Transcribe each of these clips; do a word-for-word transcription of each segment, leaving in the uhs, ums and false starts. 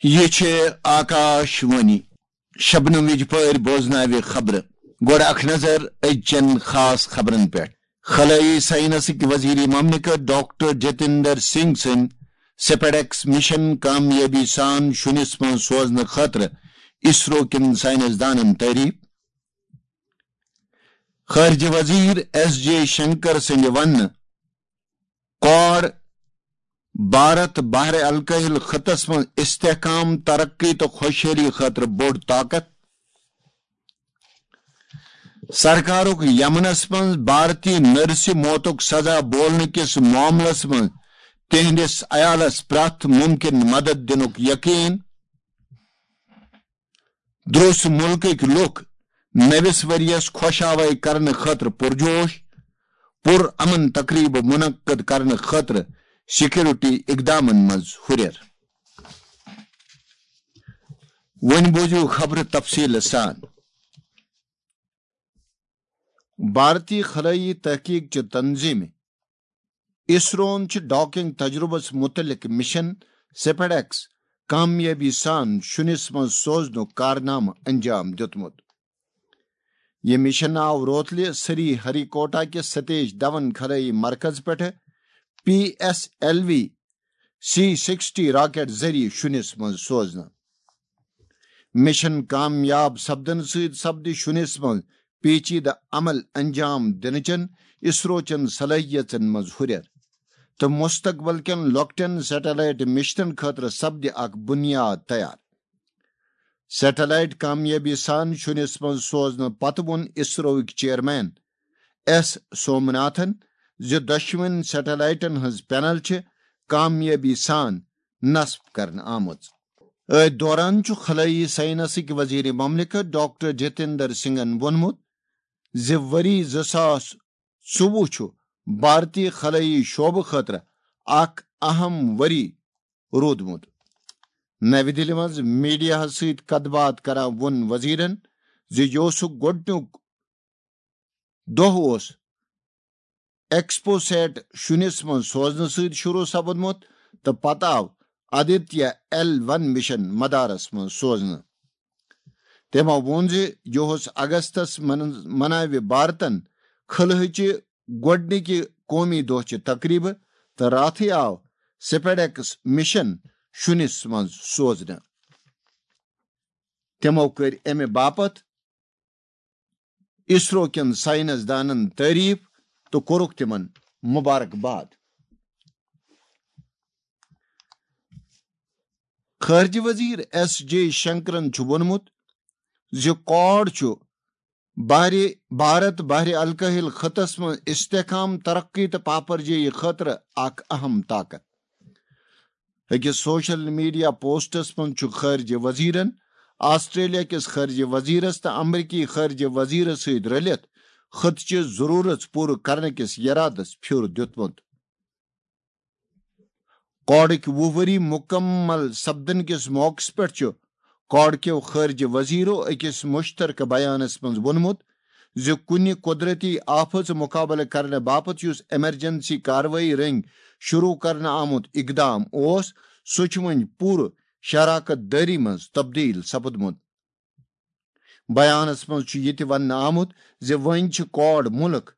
یہِ چھِ آکاش وانی۔ شبنم وِجہِ پٲرۍ بوزناوِ خبرٕ۔ گۄڈٕ اکھ نظر أزچٮ۪ن خاص خبرن پٮ۪ٹھ۔ خلٲیی ساینسٕکۍ وزیر مملکت ڈاکٹر جتیندر سنگھ سٕنٛدۍ سپیڈیکس مشن کامیٲبی سان شُنِس منٛز سوزنہٕ خٲطرٕ اسرو کٮ۪ن ساینسدانن تعریف۔ خارجہ وزیر ایس جے شنکر سٕنٛدِ وننہٕ، کواڈ بھارت بحر الکاہل خطس منٛز استحکام، ترقی تہٕ خۄشحٲلی خٲطرٕ بوٚڑ طاقت۔ سرکارُک یمنس منٛز بھارتی نرسہِ موتُک سزا بولنہٕ کِس معاملس منٛز تِہنٛدِس عیالس پرٛٮ۪تھ مُمکِن مدد دِنُک یقین۔ دروس ملکٕکۍ لوٗکھ نٔوِس ؤریَس خۄش آوٲے کرنہٕ خٲطرٕ پُرجوش، پُر امن تقریبہٕ منعقد کرنہٕ خٲطرٕ سیکورٹی اقدامن منٛز ہُرٮ۪ر۔ وۄنۍ بوزِو خبرٕ تفصیٖلہٕ سان۔ بھارتی خلٲیی تحقیق چہِ تنظیمہِ اسروہن چھِ ڈاکنگ تجربس متعلق مشن سپیڈیکس کامیٲبی سان شُنِس منٛز سوزنُک کارنامہٕ انجام دیُتمُت۔ یہِ مشن آو روتلہِ سری ہری کوٹا کِس ستیش دھون خلٲیی مرکز پٮ۪ٹھٕ P S L V C sixty rocket ذٔریعہٕ شُنِس منٛز سوزنہٕ۔ مشن کامیاب سپدنہٕ سۭتۍ سپدِ شُنِس منٛز پیچیدٕ عمل انجام دِنہٕ چٮ۪ن اسرو چٮ۪ن صلٲحیژن منٛز ہُرٮ۪ر تہٕ مستقبل کٮ۪ن لۄکٹٮ۪ن سیٹلائٹ مشنن خٲطرٕ سپدِ اکھ بنیاد تیار۔ سیٹلائٹ کامیٲبی سان شُنِس منٛز سوزنہٕ پتہٕ ووٚن اسروٕکۍ چیئرمین ایس سومناتھن زِ دۄشوٕنۍ سیٹلائٹن ہٕنٛز پینل چھِ کامیٲبی سان نصب کرنہٕ آمٕژ۔ أتھۍ دوران چھُ خلٲیی ساینسٕکۍ وزیر مملکت ڈاکٹر جتیندر سنگھن ووٚنمُت زِ ؤری زٕ ساس ژوٚوُہ چھُ بھارتی خلٲیی شعبہٕ خٲطرٕ اکھ اہم ؤری روٗدمُت۔ نَوِ دِلہِ منٛز میڈیاہَس سۭتۍ کَتھ باتھ کران ووٚن وزیرَن زِ یہِ اوسُکھ گۄڈٕنیُک دۄہ اوس ایکسپو سیٹ شُنِس منٛز سوزنہٕ سۭتۍ شروع سپُدمُت تہٕ پتہٕ آو آدتیہ ایل ون مشن مدارس منٛز سوزنہٕ۔ تٔمۍ ووٚن زِ یہِ اوس اگستس من-، مناوِ بھارتن خلہٕچہِ گۄڈٕنِکہِ قومی دۄہچہِ تقریبہٕ تہٕ راتھٕے آو سپیڈیکس مشن شُنِس منٛز سوزنہٕ۔ تِمو کٔرۍ اَمہِ باپتھ اسرو کٮ۪ن ساینس دانن تعریف تہٕ کوٚرُکھ تِمن مبارک باد۔ خارجہ وزیر ایس جے شنکرن چھُ ووٚنمُت زِ کواڈ چھُ بحری، بھارت بحر الکاہل خطس منٛز استحکام، ترقی تہٕ پاپرجٲیی خٲطرٕ اکھ اہم طاقت۔ أکِس سوشل میڈیا پوسٹس منٛز چھُ خارجہ وزیرن آسٹریلیا کِس خارجہ وزیرس تہٕ امریکی خارجہ وزیرس سۭتۍ رٔلِتھ خطچہِ ضرورت پوٗرٕ کرنہٕ کِس یرادس پھیُر دیُتمُت۔ کواڈٕکۍ وُہ ؤری مُکمل سپدن کِس موقعس پٮ۪ٹھ چھُ کواڈ کیو خارجہ وزیرو أکِس مشترکہ بیانس منٛز ووٚنمُت زِ کُنہِ قدرتی آفژ مقابلہٕ کرنہٕ باپتھ یُس ایمرجنسی کاروٲیی رٔنگۍ شروع کرنہٕ آمُت اقدام اوس، سُہ چھُ وۄنۍ پوٗرٕ شراکت دٲری منٛز تبدیل سپُدمُت۔ بیانس منٛز چھُ یہِ تہِ وننہٕ آمُت زِ وۄنۍ چھِ کواڈ مُلک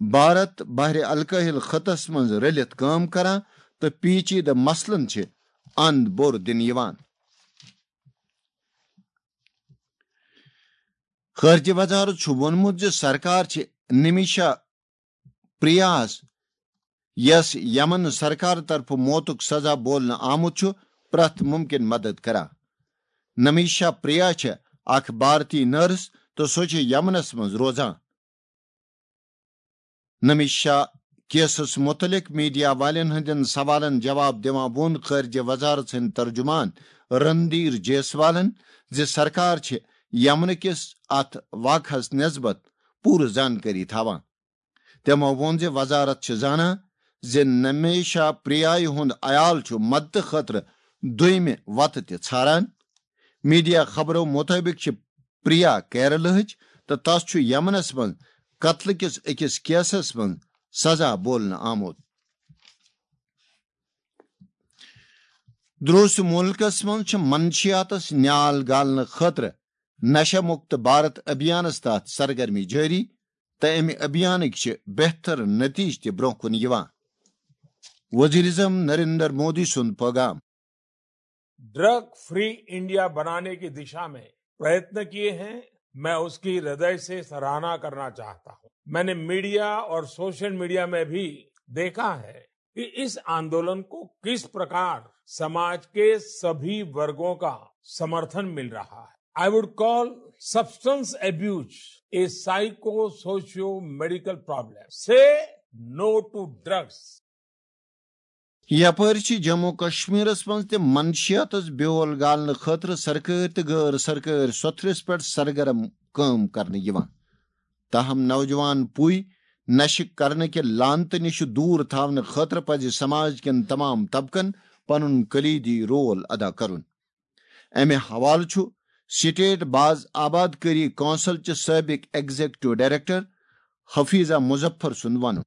بھارت بحر الکاہل خطس منٛز رٔلِتھ کٲم کران تہٕ پیچیدٕ مسلن چھِ اند بور دِنہٕ یِوان۔ خارجہ وزارت چھُ ووٚنمُت زِ سرکار چھِ نمیشا پریاہس، یس یمن سرکار طرفہٕ موتُک سزا بولنہٕ آمُت چھُ، پرٛٮ۪تھ مُمکِن مدد کران۔ نمیشا پریا چھِ اکھ بھارتی نرس تہٕ سۄ چھِ یمنس منٛز روزان۔ نمیشا کیسس متعلق میڈیا والٮ۪ن ہٕنٛدٮ۪ن سوالن جواب دِوان ووٚن خارجہ وزارت سٕنٛدۍ ترجمان رندیر جیسوالن زِ سرکار چھِ یمنہٕ کِس اتھ واقعس نسبت پوٗرٕ زانکٲری تھاوان۔ تِمو ووٚن زِ وزارت چھِ زانان زِ نمیشا پریایہِ ہُنٛد عیال چھُ مدتہٕ خٲطرٕ دوٚیمہِ وتہٕ تہِ ژھاران۔ میڈیا خبرو مُطٲبِق چھِ پریا کیرلہٕچ تہٕ تس چھُ یمنس منٛز قتلہٕ کِس أکِس کیسس منٛز سزا بولنہٕ آمُت۔ دروس ملکس منٛز چھِ منشیاتس نیال گالنہٕ خٲطرٕ نشہ مکت بھارت ابھیانس تحت سرگرمی جٲری، تہٕ امہِ ابھیانٕکۍ چھِ بہتر نتیجہٕ تہِ برونٛہہ کُن یِوان۔ وزیر اعظم نریندر مودی سُنٛد پیغام۔ ड्रग फ्री इंडिया बनाने की दिशा में प्रयत्न किए हैं, मैं उसकी हृदय से सराहना करना चाहता हूं। मैंने मीडिया और सोशल मीडिया में भी देखा है कि इस आंदोलन को किस प्रकार समाज के सभी वर्गों का समर्थन मिल रहा है। I would call substance abuse a psycho socio medical problem. Say no to drugs. یپٲرۍ چھِ جموں کشمیرس منٛز تہِ منشیاتس بیول گالنہٕ خٲطرٕ سرکٲرۍ تہٕ غٲر سرکٲرۍ سوٚتھرِس پٮ۪ٹھ سرگرم کٲم کرنہٕ یِوان۔ تاہم نوجوان پُے نشہٕ کرنہٕ کہِ لعنتہٕ نِش دوٗر تھاونہٕ خٲطرٕ پزِ سماج کٮ۪ن تمام طبقن پنُن کلیدی رول ادا کرُن۔ امہِ حوالہٕ چھُ سٹیٹ باز آباد کٲری کونسل چہِ سٲبق ایگزیکٹو ڈائریکٹر حفیظہ مظفر سُنٛد ونُن۔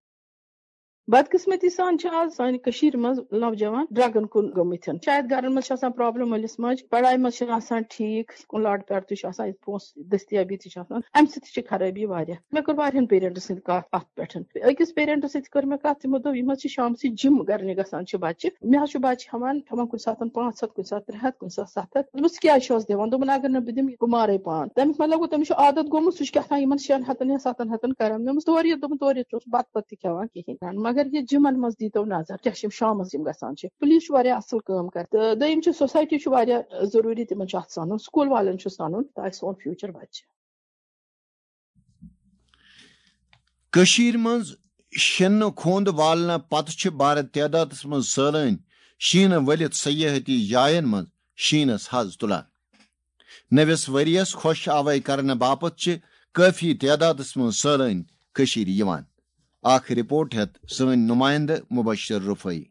بدقسمتی سان چھِ آز سانہِ کٔشیٖرِ منٛز نوجوان ڈرگن کُن گٔمٕتۍ۔ شاید گرن منٛز چھِ آسان پرابلم مٲلِس ماجہِ، پڑھایہِ منٛز چھِنہٕ آسان ٹھیٖک، کُن لاڈ پیار تہِ چھُ آسان، پونٛسہٕ دٔستیابی تہِ چھِ آسان، امہِ سۭتۍ تہِ چھِ خرٲبی واریاہ۔ مےٚ کٔر واریاہن پیرنٹس سۭتۍ کتھ اتھ پٮ۪ٹھ۔ أکِس پیرنٹس سۭتۍ کٔر مےٚ کتھ، تِمو دوٚپ، یِم حظ چھِ شامسٕے جم کرنہِ گژھان چھِ بچہِ، مےٚ حظ چھُ بچہِ ہٮ۪وان ہٮ۪وان کُنہِ ساتہٕ پانٛژھ ہتھ، کُنہِ ساتہٕ ترٛےٚ ہتھ، کُنہِ ساتہٕ ستھ ہتھ۔ دوٚپمس، ژٕ کیٛازِ چھُ حظ دِوان؟ دوٚپُن، اگر نہٕ بہٕ دِمہٕ، یہِ گوٚو مارے پان۔ تمیُک مطلب گوٚو، تٔمِس چھُ عادت گوٚمُت، سُہ چھُ کیٛاہ تام یِمن شٮ۪ن ہتن یا ستن ہتن کران۔ مےٚ دوٚپمس، تورٕ یہِ، دوٚپُن، تورٕ یہِ، ژٕ اوسُکھ بتہٕ پتہٕ تہِ کھٮ۪وان کِہینۍ۔ مگر یہِ جمن منٛز دیٖتو نظر، کیٛاہ چھِ یِم شامس یِم گژھان چھِ۔ پُلیٖس چھُ واریاہ اصل کٲم کران تہٕ دوٚیِم چھُ، سوسایٹی چھُ واریاہ ضروٗری، تِمن چھُ اتھ سنُن، سکوٗل والٮ۪ن چھُ سنُن، تاکہِ سون فیوچر بچہِ۔ کٔشیٖرِ منٛز شِنہٕ کھوٚنٛد والنہٕ پتہٕ چھِ بارٕ تعدادس منٛز سٲلٲنۍ شیٖنہٕ ؤلِتھ سیاحتی جاین منٛز شیٖنس حض تُلان۔ نٔوِس ؤرۍیَس خۄش آوے کرنہٕ باپتھ چھِ کٲفی تعدادس منٛز سٲلٲنۍ کٔشیٖرِ یِوان۔ اکھ رپورٹ ہٮ۪تھ سٲنۍ نُمایندٕ مبشر رفٲعی۔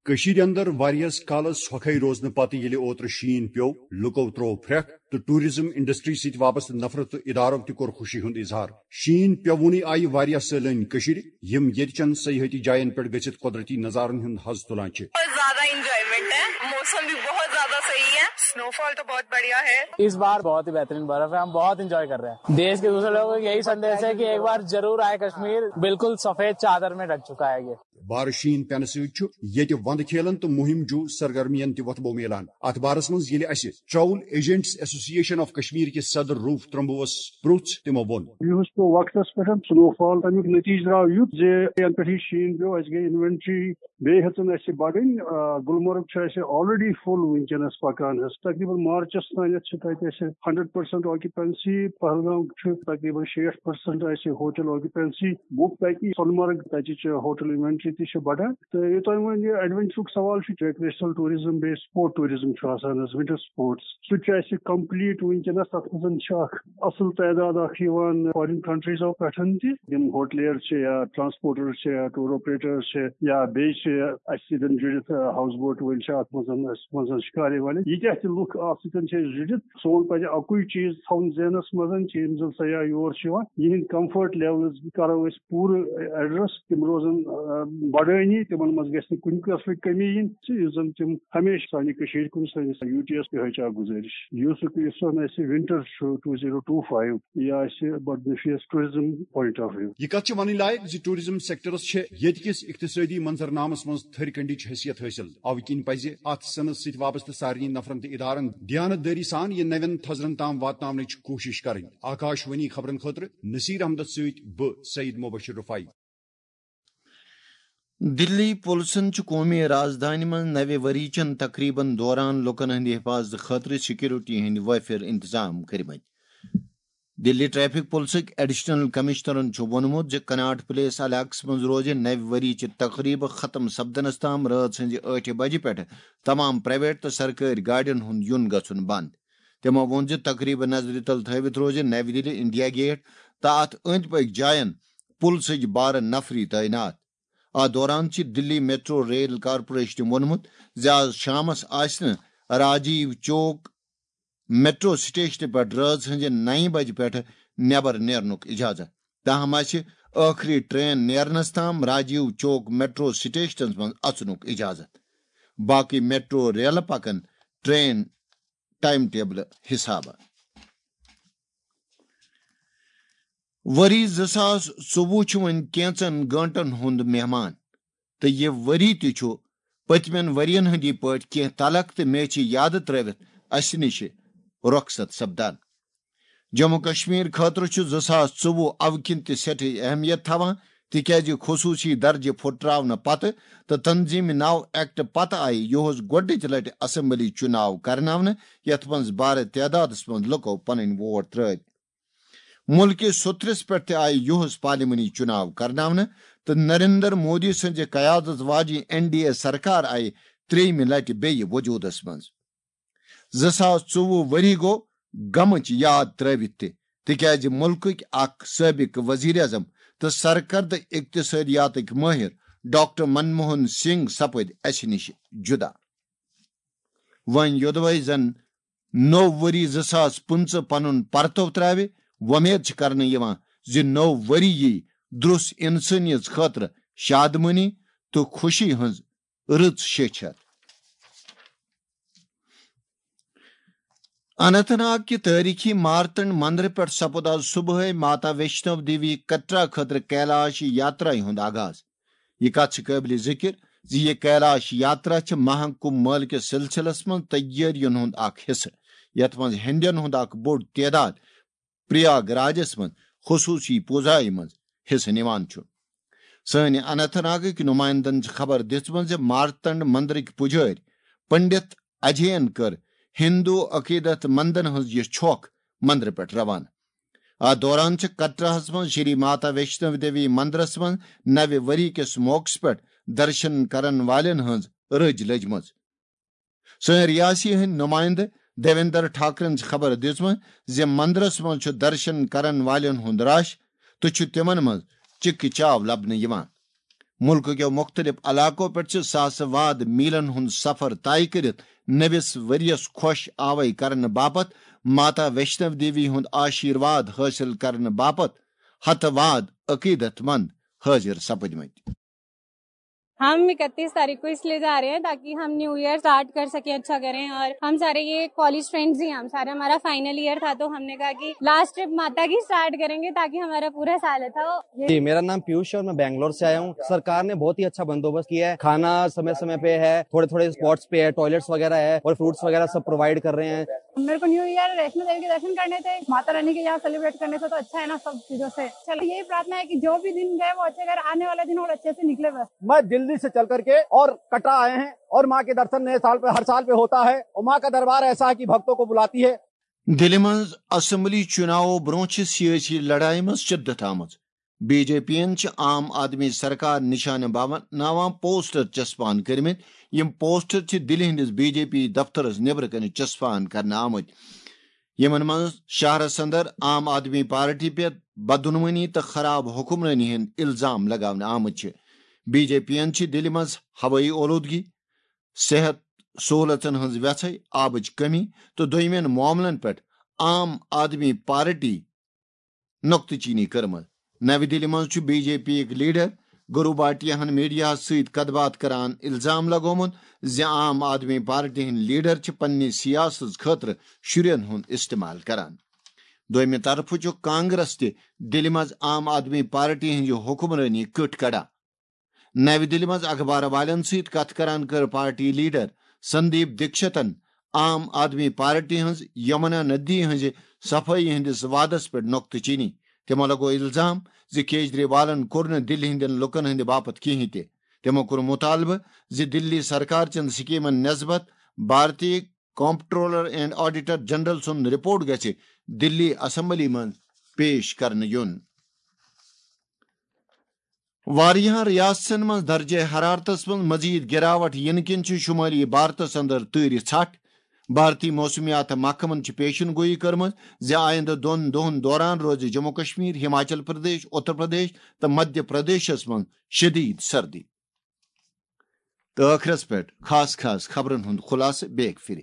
کٔشیٖرِ اندر واریاہس کالس سۄکھے روزنہٕ پتہٕ ییٚلہِ اوترٕ شیٖن پیوٚو، لُکو تروو پھرٛکھ تہٕ ٹوٗرزم انڈسٹری سۭتۍ وابستہٕ نفرت تہٕ ادارو تہِ کوٚر خوشی ہُنٛد اظہار۔ شیٖن پیوٚوُنٕے آیہِ واریاہ سٲلٲنۍ کٔشیٖرِ، یِم ییٚتہِ چٮ۪ن سیاحتی جاین پٮ۪ٹھ گٔژھِتھ قۄدرتی نظارن ہُنٛد حظ تُلان چھِ۔ बहुत ज्यादा एंजॉयमेंट है, मौसम भी बहुत ज्यादा सही है। स्नोफॉल तो बहुत बढ़िया है। इस बार बहुत ही बेहतरीन बर्फ है, हम बहुत एंजॉय कर रहे हैं। देश के दूसरे लोगों को यही संदेश है कि एक बार जरूर आए कश्मीर, बिल्कुल सफेद चादर में ढक चुका है ये। بارٕ شیٖن پٮ۪نہٕ سۭتۍ چھُ ییٚتہِ وندٕ کھیلن تہٕ مُہِم جو سرگرمین تہِ وۄتھٕ بو میلان۔ اتھ بارس منٛز ییٚلہِ اسہِ ٹریول ایجنٹس ایسوسی ایشن آف کشمیر کِس صدر روٗف ترمبوس پرُژھ، تِمو ووٚن۔ یُہُس پیوٚو وقتس پٮ۪ٹھ سنو فال، تمیُک نتیجہٕ درٛاو یُتھ زِ ینہٕ پٮ۪ٹھ یہِ شیٖن پیوٚو، اسہِ گٔے انوینٹری بیٚیہِ ہٮ۪ژٕن اسہِ بڑٕنۍ۔ آ، گلمرگ چھُ اسہِ آلریڈی فُل وٕنکیٚنس پکان حظ، تقریباً مارچس تانٮ۪تھ چھِ تتہِ اسہِ ہنڈرڈ پرسنٹ آکیوپینسی، پہلگام چھُ تقریباً شیٹھ پرسنٹ اسہِ ہوٹل آکیوپینسی بُک، تاکہِ سۄنہٕ مرگ تتِچ ہوٹل انوینٹری تہِ چھِ بڑان۔ تہٕ یوٚتام وۄنۍ یہِ ایڈونچرُک سوال چھُ، ریکریشنل ٹوٗرزم بیٚیہِ سپورٹ ٹوٗرزم چھُ آسان حظ، ونٹر سپورٹس، سُہ تہِ چھُ اسہِ کمپلیٖٹ وٕنکیٚنس۔ تتھ منٛز چھِ اکھ اصل تعداد اکھ یِوان فارین کنٹریزو پٮ۪ٹھ تہِ، یِم ہوٹلیر چھِ یا ٹرانسپورٹر چھِ یا ٹور آپریٹر چھِ یا بیٚیہِ چھِ اسہِ سۭتۍ جُڑِتھ، ہاوُس بوٹ وٲلۍ چھِ اتھ منٛز، اسہِ منٛز شکارے والے، ییٖتیٛاہ تہِ لُکھ اتھ سۭتۍ چھِ أسۍ جُڑِتھ، سون پزِ اکُے چیٖز تھاوُن ذہنس منٛز کہِ یِم زن سیاح یور چھِ یِوان، یِہنٛدۍ کمفٲرٹ لیولز کرو أسۍ پوٗرٕ ایڈریس، تِم روزن، آ، بڑٲنی، تِمن منٛز گژھِ نہٕ کُنہِ قٕسمٕچ کٔمی یِنۍ، یُس زن تِم ہمیشہٕ سانہِ کٔشیٖرِ کُن، سٲنِس یوٗ ٹی یس، یِہوٚے چھِ اکھ گُزٲرِش۔ یُس، یُس زن اَسہِ ونٹر چھُ ٹوٗ زیٖرو ٹوٗ فایِو، یہِ آسہِ بڈٕ نفیس ٹوٗرزم پوینٹ آف ویو۔ یہِ کتھ چھِ ونٕنۍ لایق زِ ٹوٗرزم سیکٹرس چھےٚ ییٚتہِ کِس اقتصٲدی منظرنامس منٛز تھٔرۍ کنڈِچ حیثیت حٲصِل۔ اوٕ کِنۍ پزِ اتھ صنعت سۭتۍ وابستہٕ سارنٕے نفرن تہٕ ادارن دیانت دٲری سان یہِ نوٮ۪ن تھزرن تام واتناونٕچ کوٗشش کرٕنۍ۔ آکاش وانی خبرن خٲطرٕ نصیر احمدس سۭتۍ بہٕ سعید مبشر رفاعی۔ دِلی پُلسن چھِ قومی رازدٲنہِ منٛز نوِ ؤری چٮ۪ن تقریبن دوران لوٗکن ہٕنٛدِ حفاظتہٕ خٲطرٕ سیکورٹی ہٕنٛدۍ وٲفر انتظام کٔرمٕتۍ۔ دِلی ٹریفک پُلسٕکۍ ایڈیشنل کمشنرن چھُ ووٚنمُت زِ کناٹ پلیس علاقس منٛز روزِ نوِ ؤری چہِ تقریبہٕ ختم سپدنس تام رٲژ ہٕنٛزِ ٲٹھِ بجہِ پٮ۪ٹھٕ تمام پرائیویٹ تہٕ سرکٲرۍ گاڑٮ۪ن ہُنٛد یُن گژھُن بنٛد۔ تِمو ووٚن زِ تقریبہٕ نظرِ تل تھٲوِتھ روزِ نوِ دِلی انڈیا گیٹ تہٕ اتھ أنٛدۍ پٔکۍ جاین پُلسٕکۍ بارٕ نفری تعینات۔ اتھ دوران چھِ دِلی میٹرو ریل کارپوریشنہِ ووٚنمُت زِ از شامس آسہِ نہٕ راجیو چوک میٹرو سٹیشنہٕ پٮ۪ٹھ رٲژ ہٕنٛزِ نَیہِ بجہِ پٮ۪ٹھٕ نٮ۪بر نیرنُک اجازت۔ تاہم آسہِ ٲخری ٹرین نیرنس تام راجیو چوک میٹرو سٹیشنس منٛز اژنُک اجازت۔ باقٕے میٹرو ریلہٕ پکن ٹرین ٹائم ٹیبلہٕ حسابہٕ۔ ؤری زٕ ساس ژوٚوُہ چھُ وۄنۍ کینٛژن گٲنٛٹن ہُنٛد مہمان، تہٕ یہِ ؤری تہِ چھُ پٔتمٮ۪ن ؤرین ہٕنٛدی پٲٹھۍ کینٛہہ تلخ تہٕ میچھِ یادٕ ترٲوِتھ اسہِ نِش رۄخصت سپدان۔ جموں کشمیر خٲطرٕ چھُ زٕ ساس ژوٚوُہ اَوٕ کِنۍ تہِ سٮ۪ٹھٕے اہمیت تھاوان، تِکیازِ خصوٗصی درجہٕ پھُٹراونہٕ پتہٕ تہٕ تنظیٖم نو ایکٹ پتہٕ آیہِ یُہُس گۄڈٕنِچ لٹہِ اسمبلی چُناو کرناونہٕ، یتھ منٛز بارٕ تعدادس منٛز لُکو پنٕنۍ ووٹ ترٲوۍ۔ مُلکہِ سوٚتھرِس پٮ۪ٹھ تہِ آیہِ یُہُس پارلیمانی چُناو کرناونہٕ تہٕ نریندر مودی سٕنٛزِ قیادت واجیٚنۍ این ڈی اے سرکار آیہِ ترٛیٚیِمہِ لٹہِ بیٚیہِ وجوٗدس منٛز۔ زٕ ساس ژوٚوُہ ؤری گوٚو غمٕچ یاد ترٲوِتھ تہِ، تِکیازِ مُلکٕکۍ اکھ سٲبِق وزیر اعظم تہٕ سرکردٕ اقتصٲدیاتٕکۍ مٲہِر ڈاکٹر منموہن سنگھ سپٕدۍ اسہِ نِش جُدا۔ وۄنۍ یوٚدوَے زَن نوٚو ؤری زٕ ساس پٕنٛژٕہ پنُن پرتو ترٛاوِ، وۄمید چھِ کرنہٕ یِوان زِ نوٚو ؤری یی درُس اِنسٲنیت خٲطرٕ شادمٲنی تہٕ خوشی ہٕنٛز رٕژ شیٚچھ ہٮ۪تھ۔ اننت ناگ کہِ تٲریخی مارتنڈ مندرٕ پٮ۪ٹھ سپُد آز صبحٲے ماتا ویشنو دیوی کٹرا خٲطرٕ کیلاش یاترا ہُنٛد آغاز۔ یہِ کتھ چھِ قٲبلِ ذِکِر زِ یہِ کیلاش یاترا چھِ مہا کُمبھ مٲلہٕ کِس سلسلس منٛز تیٲرین ہُنٛد اکھ حصہٕ، یتھ منٛز ہیٚنٛدٮ۪ن ہُنٛد اکھ بوٚڑ تعداد پریاگ راجس منٛز خصوٗصی پوٗزایہِ منٛز حصہٕ نِوان چھُ۔ سٲنۍ اننت ناگٕکۍ نُمایندن چھِ خبر دِژمٕژ زِ مارتنڈ مندرٕکۍ پُجٲرۍ پنڈت اجین کٔر ہندو عقیدت مندن ہٕنٛز یہِ چھۄکھ مندرٕ پٮ۪ٹھ روانہٕ۔ اتھ دوران چھِ کٹراہس منٛز شری ماتا ویشنو دیوی مندرس منٛز نوِ ؤری کِس موقعس پٮ۪ٹھ درشن کرن والٮ۪ن ہٕنٛز رٔج لٔجمٕژ۔ سٲنۍ ریاسی ہٕنٛدۍ نُمایندٕ دیویندر ٹھاکرن چھِ خبر دِژمٕژ زِ مندرس منٛز چھُ درشن کرن والٮ۪ن ہُنٛد رش تہٕ چھُ تِمن منٛز چِکہٕ چاو لبنہٕ یِوان۔ مُلکہٕ کٮ۪و مُختٔلِف علاقو پٮ۪ٹھ چھِ ساسہٕ واد میٖلن ہُنٛد سفر طے کٔرِتھ نٔوِس ؤرِیَس خۄش آوَے کرنہٕ باپتھ ماتا ویشنو دیوی ہُنٛد آشیٖرواد حٲصِل کرنہٕ باپتھ ہتہٕ واد عقیدت مند حٲضِر سپٕدمٕتۍ۔ ہم اکتیس تاریخ کو اس لیے جا رہے ہیں تاکہ ہم نیو ایئر اسٹارٹ کر سکیں، اچھا کریں۔ اور ہم سارے، یہ کالج فرینڈز ہی ہیں، ہم سارے، ہمارا فائنل ایئر تھا تو ہم نے کہا کہ لاسٹ ٹرپ ماتا کی اسٹارٹ کریں گے تاکہ ہمارا پورا سال اچھا ہو۔ یہ جی، میرا نام پیوش ہے اور میں بنگلور سے آیا ہوں۔ سرکار نے بہت ہی اچھا بندوبست کیا ہے، کھانا سمے سمے پہ ہے، تھوڑے تھوڑے اسپاٹس پہ ہے، ٹوائلٹس وغیرہ ہے اور فروٹس وغیرہ سب پرووائڈ کر رہے ہیں۔ میرے کو न्यू ईयर वैष्णो देवी के दर्शन करने थे, माता रानी के यहाँ सेलिब्रेट करने थे, तो अच्छा है ना सब चीजों से। चलो यही प्रार्थना है कि जो भी दिन गए वो अच्छे, अगर आने वाला दिन और अच्छे से निकले बस। मैं दिल्ली से चल करके और कटरा आए हैं और माँ के दर्शन नए साल पे, हर साल पे होता है और माँ का दरबार ऐसा है कि भक्तों को बुलाती है। دِلہِ منٛز اسمبلی چُناوو برونٛہہ چھِ سیٲسی لڑایہِ منٛز شدت آمٕژ۔ بی جے پی یَن چھِ عام آدمی سرکار نشانہٕ بناوان پوسٹر چسپان کٔرمٕتۍ۔ یِم پوسٹر چھِ دِلہِ ہٕنٛدِس بی جے پی دفترس نیبرٕ کنہِ چسپان کرنہٕ آمٕتۍ۔ یِمن منٛز شہرس اندر عام آدمی پارٹی پٮ۪ٹھ بدعنوٲنی تہٕ خراب حکمرٲنی ہٕنٛدۍ الزام لگاونہٕ آمٕتۍ چھِ۔ بی جے پی یَن چھِ دِلہِ منٛز ہوٲیی اولودگی، صحت سہولژن ہٕنٛز وٮ۪ژھے، آبٕچ کمی تہٕ دوٚیمٮ۪ن معاملن پٮ۪ٹھ عام آدمی پارٹی نۄقطہٕ چینی کٔرمٕژ۔ نَوِ دِلہِ منٛز چھُ بی جے پی یٕکۍ لیڈر گروباٹیاہن میڈیاہس سۭتۍ کتھ باتھ کران الزام لگومُت زِ عام آدمی پارٹی ہٕنٛدۍ لیڈر چھِ پننہِ سیاست خٲطرٕ شُرٮ۪ن ہُنٛد استعمال کران۔ دوٚیمہِ طرفہٕ چھُ کانگریس تہِ دِلہِ منٛز عام آدمی پارٹی ہٕنٛزِ حکمرٲنی کٔٹ کڑان۔ نَوِ دِلہِ منٛز اخبار والٮ۪ن سۭتۍ کتھ کران کٔر پارٹی لیڈر سندیپ دیکشتن عام آدمی پارٹی ہٕنٛز یمنا ندی ہٕنٛزِ صفٲیی ہٕنٛدِس وعدس پٮ۪ٹھ نۄقطہٕ چینی۔ تِمو لگوو الزام زِ کیجریوالن کوٚر نہٕ دِلہِ ہٕنٛدٮ۪ن لوٗکن ہٕنٛدِ باپتھ کِہنۍ تہِ۔ تِمو کوٚر مُطالبہٕ زِ دِلی سرکار چٮ۪ن سکیمن نسبت بھارتی کمپٹرولر اینڈ آڈیٹر جنرل سُنٛد رپورٹ گژھِ دِلی اسمبلی منٛز پیش کرنہٕ یُن۔ واریاہن ریاستن منٛز درجہ حرارتس منٛز مزید گراوٹ یِنہٕ کِنۍ چھِ شمٲلی بھارتس اندر تۭرِ ژھٹھ۔ بھارتی موسمیات محکمن چھِ پیشن گویی کٔرمٕژ زِ آیندٕ دۄن دۄہن دوران روزِ جموں کشمیر، ہماچل پردیش، اتر پردیش تہٕ مدھیہ پردیشس منٛز شدید سردی۔ تہٕ ٲخرس پٮ۪ٹھ خاص خاص خبرن ہُنٛد خلاصہٕ بیٚیہِ پھِرِ۔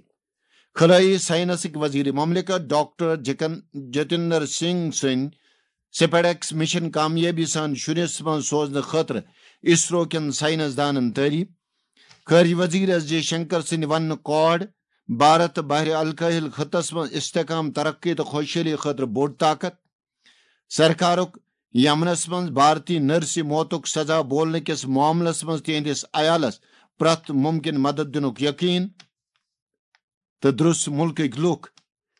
خلٲیی ساینسٕکۍ وزیر مملکت ڈاکٹر جکن-، جتندر سنگھ سٕنٛدۍ سپیڈیکس مشن کامیٲبی سان شُرِس منٛز سوزنہٕ خٲطرٕ اسرو کٮ۪ن ساینس دانن تعریف۔ خارجہ وزیر ایس جے شنکر سٕنٛدِ وننہٕ کھۄتہٕ، بھارت بحر الکاہل خطس منٛز استحکام، ترقی تہٕ خۄشحٲلی خٲطرٕ بوٚڑ طاقت۔ سرکارُک یمنس منٛز بھارتی نرسہِ موتُک سزا بولنہٕ کِس معاملس منٛز تِہنٛدِس عیالس پرٛٮ۪تھ مُمکِن مدد دِنُک یقین۔ تہٕ درٛس مُلکٕکۍ لوٗکھ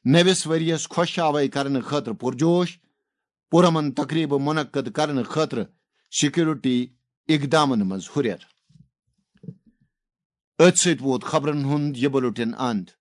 نٔوِس ؤریَس خۄش آوے کرنہٕ خٲطرٕ پُرجوش، پُرامن تقریبہٕ منعقد کرنہٕ خٲطرٕ سیکورٹی اقدامن منٛز ہُرٮ۪ر۔ أتھۍ سۭتۍ ووت خبرن ہُنٛد یہِ بُلٹن اند۔